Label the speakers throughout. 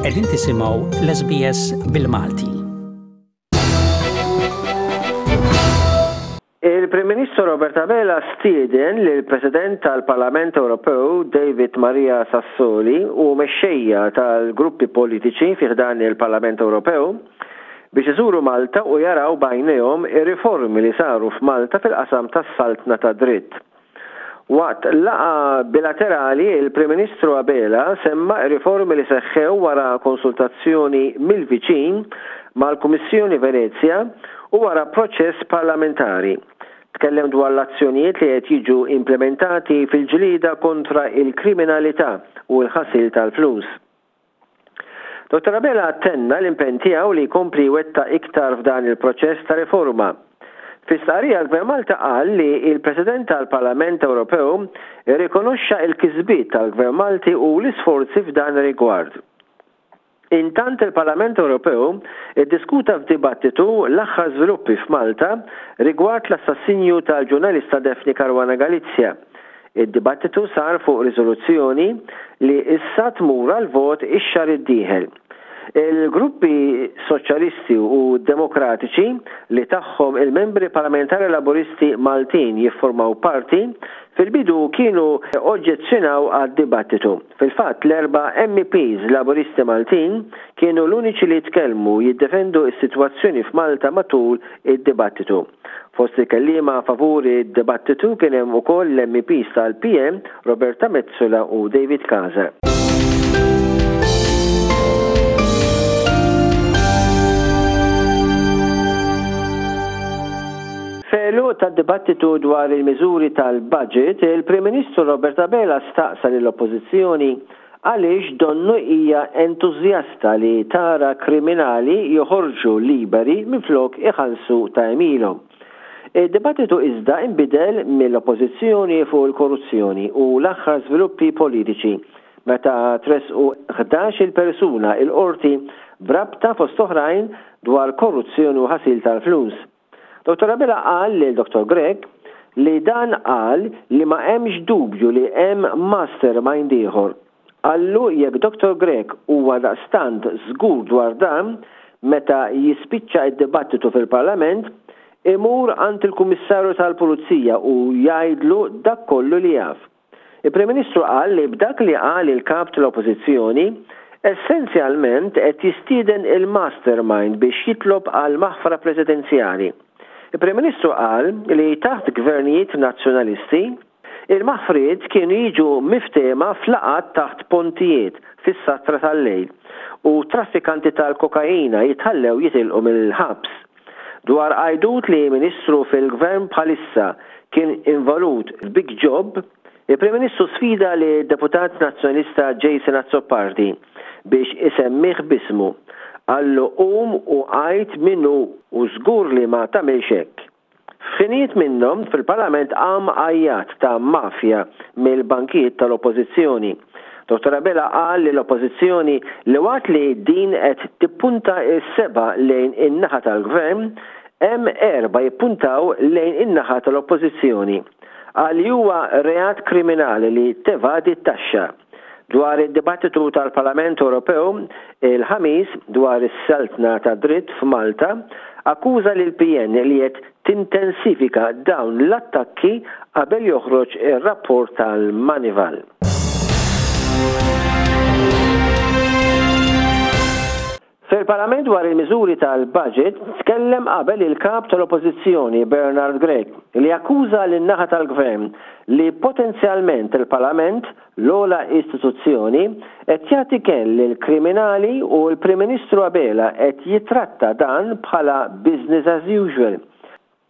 Speaker 1: Qegħdin tisimgħu l-SBS bil-Malti.
Speaker 2: Il-Prim Ministru Robert Abela stieden lill-President tal-Parlament Ewropew David Maria Sassoli u mexxejja tal-gruppi politiċi fi ħdan il-Parlament Ewropew biex iżuru Malta u jaraw b'għajnejhom ir-riformi li saru f'Malta fil-qasam tas-saltna tad-dritt. Waqt laqgħa bilaterali, il-Prim Ministru Abela semma r-riformi li seħħew wara konsultazzjoni mill-viċin mal-Kummissjoni Venezja u wara proċess parlamentari. Tkellem dwar l-azzjonijiet li qed jiġu implimentati fil-ġlieda kontra l-kriminalità u l-ħasil tal-flus. Dottor Abela tenna l-impenn tiegħu li jkompli jwettaq iktar f'dan il-proċess ta' riforma. Fi stqarrija l-Gvern Malta qal li l-President tal-Parlament Ewropew irrikonoxxa l-kisbiet tal-Gvern Malti u l-isforzi f'dan ir-rigward. Intant il-Parlament Ewropew iddiskuta f'dibattitu l-aħħar żviluppi f'Malta rigward l-assassinju tal-ġurnalista Daphne Caruana Galizia. Id-dibattitu sar fuq riżoluzzjoni li issa tmur għall-vot ix-xahar id-dieħel. Il-gruppi Soċjalisti u Demokratiċi, li tagħhom il-membri parlamentari Laburisti Maltin jiffurmaw parti, fil-bidu kienu oġġezzjonaw għad-dibattitu. Fil-fatt, l-erba' MEPs Laburisti Maltin kienu l-uniċi li tkellmu jiddefendu s-sitwazzjoni f'Malta matul id-dibattitu. Fost il-kelliema favur id-dibattitu kien hemm ukoll l-MEPs tal-PN Roberta Metsola u David Casa. F'għeluq tad-dibattitu dwar il-miżuri tal-budget, il-Prim Ministru Robert Abela staqsa lill-Oppożizzjoni Għaliex donnu hija entużjasta li tara kriminali joħorġu liberi minflok iħallsu ta' għemilhom. Id-dibattitu iżda inbidel mill-Oppożizzjoni fuq il-korruzzjoni u l-aħħar żviluppi politiċi meta tressqu 11-il persuna il-Qorti b'rabta fost oħrajn dwar korruzzjoni u ħasil tal-flus. Dottor Abela qal lil Dottor Grech li dan qal li ma hemmx dubju li hemm mastermind ieħor. Qallu jekk Dottor Grech huwa daqstant żgur dwar dan, meta jispiċċa d-dibattitu fil-Parlament, imur għand il-Kummissarju tal-Pulizija u jgħidlu dak kollu li jaf. Il-Prim Ministru qal li b'dak li qal il-Kap tal-Oppożizzjoni, essenzjalment qed jistieden il-mastermind biex jitlob għal maħfra presidenzjali. Il-Prim Ministru qal li taħt gvernijiet Nazzjonalisti, il-maħfriet kienu jiġu miftehma f'laqgħat taħt pontijiet fis-satra tal-lejl u traffikanti tal-kokaina jitħallew jitilqu mill-ħabs. Dwar għajdut li Ministru fil-Gvern bħalissa kien involut f'big job, il-Prim Ministru sfida lid-Deputat Nazzjonalista Jason Azzopardi biex isemmih b'ismu. Qallu qum u għid min hu u żgur li ma tagħmilx hekk. F'ħinijiet minnhom fil-Parlament qam għajjat ta' mafja mill-bankijiet tal-Oppożizzjoni. Dottor Abela qal li l-Oppożizzjoni li waqt li din qed tippunta s-sebgħa lejn in-naħa tal-Gvern, hemm erbgħa jippuntaw lejn in-naħa tal-Oppożizzjoni. Qal li huwa reat kriminali li tevadi t-taxxa. Dwar id-dibattitu tal-Parlament Ewropew il-Ħamis dwar is-saltna tad-dritt f'Malta, akkuża lill-PN li qed tintensifika dawn l-attakki qabel joħroġ ir-rapport tal-Moneyval. Fil-Parlament dwar il-miżuri tal-budget tkellem qabel il-Kap tal-Oppożizzjoni Bernard Grech li akkuża lin-naħa tal-Gvern li potenzjalment il-Parlament, l-ogħla istituzzjoni, qed jagħti kenn lill-kriminali u l-Prim Ministru Abela qed jittratta dan bħala business as usual.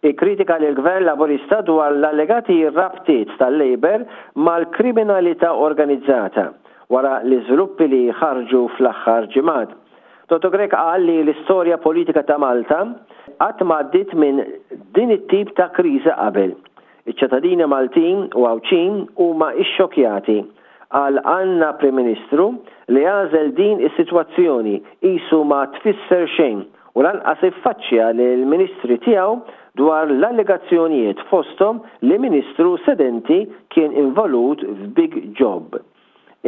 Speaker 2: Ikkritika lill-Gvern Laburista dwar l-allegati rabtiet tal-Labour mal-kriminalità organizzata, wara l-iżviluppi li ħarġu fl-aħħar ġimgħat. Dottor Grech qal li l-istorja politika ta' Malta qatt m'għaddiet minn din it-tip ta' kriżi qabel. Iċ-ċittadini Maltin u Għawdxin huma xxokkjati. Qal għandna Prim Ministru li għażel din is-sitwazzjoni qisu ma tfisser xejn u lanqas iffaċċja lill-Ministri tiegħu dwar l-allegazzjonijiet fosthom li Ministru sedenti kien involut f'big job.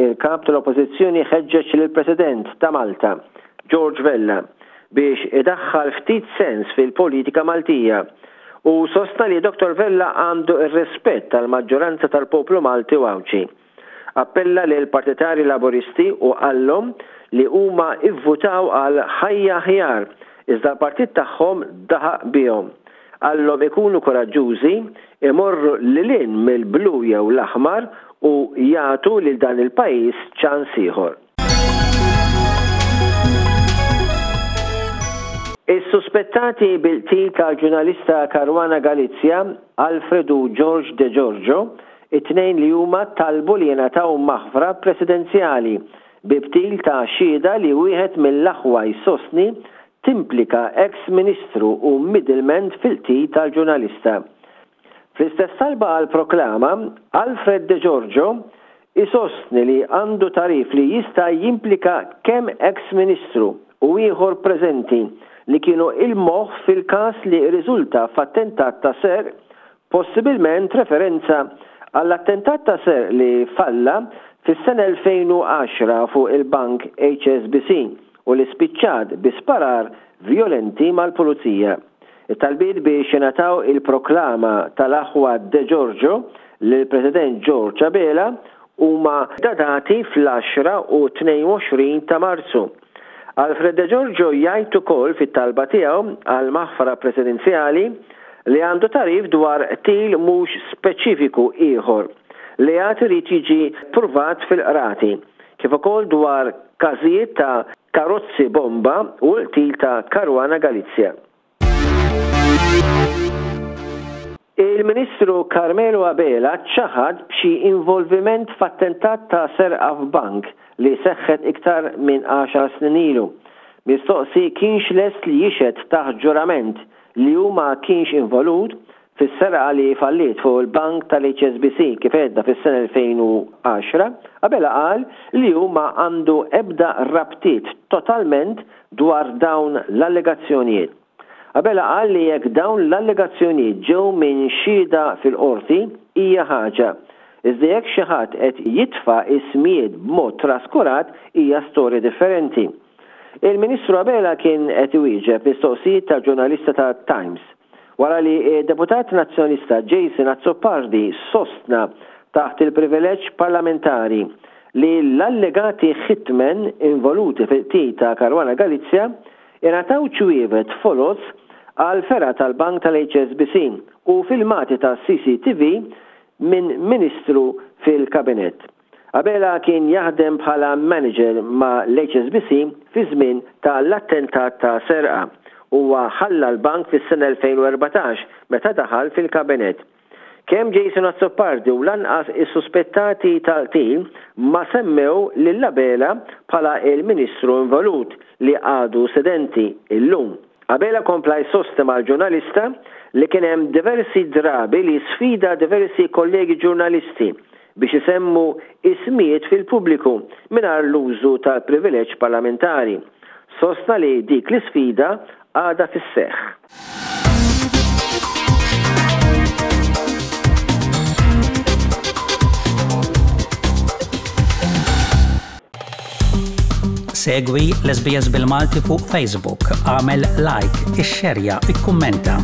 Speaker 2: Il-Kap tal-Oppożizzjoni ħeġġeġ lill-President ta' Malta, George Vella, biex idaħħal ftit sens fil-politika Maltija u sostna li Dottor Vella għandu r-rispett tal-maġġoranza tal-poplu Malti u Għawdxi. Appella lill-partitarji Laburisti u qallhom li huma ivvutaw għal ħajja aħjar iżda l-partit tagħhom daħaq bihom. Qallhom ikunu kuraġġużi, imorru lil hinn mill-blu jew l-aħmar u jagħtu lil dan il-pajjiż ċans ieħor. Is-suspettati bil-qtil tal-ġurnalista Caruana Galizia, Alfred u George De Giorgio, it-tnejn li huma talbu li jingħataw maħfra presidenzjali bi btil ta' xhieda li wieħed mill-aħwa jsostni timplika eks Ministru u middleman fil-qtil tal-ġurnalista. Fl-istess talba għal proklama, Alfred De Giorgio isostni li għandu tagħrif li jista' jimplika kemm eks Ministru u ieħor preżenti li kienu il-moħħ fil-każ li rriżulta f'attentat ta' serq possibilment referenza għall-attentat ta' serq li falla fis-sena 2010 fuq il-bank HSBC u li spiċċat bi sparar vjolenti mal-pulizija. It-talbiet biex jingħataw il-proklama tal-aħwa De Giorgio lill-President George Abela huma datati fl-għaxra u 22 ta' Marzu. Alfred De Giorgio jgħid ukoll fit-talba tiegħu għal maħfra presidenzjali li għandu tagħrif dwar qtil mhux speċifiku ieħor li għad irid jiġi ppruvat fil-qrati, kif ukoll dwar każijiet ta' karozzi bomba u l-qtil ta' Caruana Galizia. Il-Ministru Carmelo Abela ċaħad b'xi involviment f'attentat ta' serqa f'bank li seħħet iktar minn għaxar snin ilu. Mistoqsi kienx lest li jixhed taħt ġurament li hu ma kienx involut fis-serqa li falliet fuq il-bank tal-HSBC kif għedna fis-sena 2010, Abela qal li hu ma għandu ebda rabtiet totalment dwar dawn l-allegazzjonijiet. Abela qal li jekk dawn l-allegazzjonijiet ġew minn xhieda fil-Qorti hija ħaġa, iżda jekk xi ħadd qed jitfa' ismijiet b'mod traskurat hija storja differenti. Il-Ministru Abela kien qed iwieġeb mistoqsijiet ta' ġurnalista tat-Times wara li d-Deputat Nazzjonalista Jason Azzopardi sostna taħt il-privileġġ parlamentari li l-allegati hitmen involuti fil-qtil ta' Caruana Galizia ingħataw ċwievet foloz għall-fergħa tal-bank tal-HSBC u filmati tas-CCTV minn Ministru fil-Kabinett. Abela kien jaħdem bħala manager ma' l-HSBC fiż-żmien ta' l-attentat ta' serqa. Huwa ħalla l-bank fis-sena 2014 meta daħal fil-Kabinett. Kemm Jason Azzopardi u lanqas is-suspettati tal-qtil ma semmew lil Abela bħala l-Ministru involut li għadu sedenti illum. Abela kompla jsostni mal-ġurnalista li kien hemm diversi drabi li sfida diversi kollegi ġurnalisti biex isemmu ismijiet fil-pubbliku mingħajr l-użu tal-privileġġ parlamentari. Sostna li dik l-isfida għadha fis-seħħ.
Speaker 1: Segwi l-SBS bil-Malti fuq Facebook, għamel like, ixxerja, ikkummenta.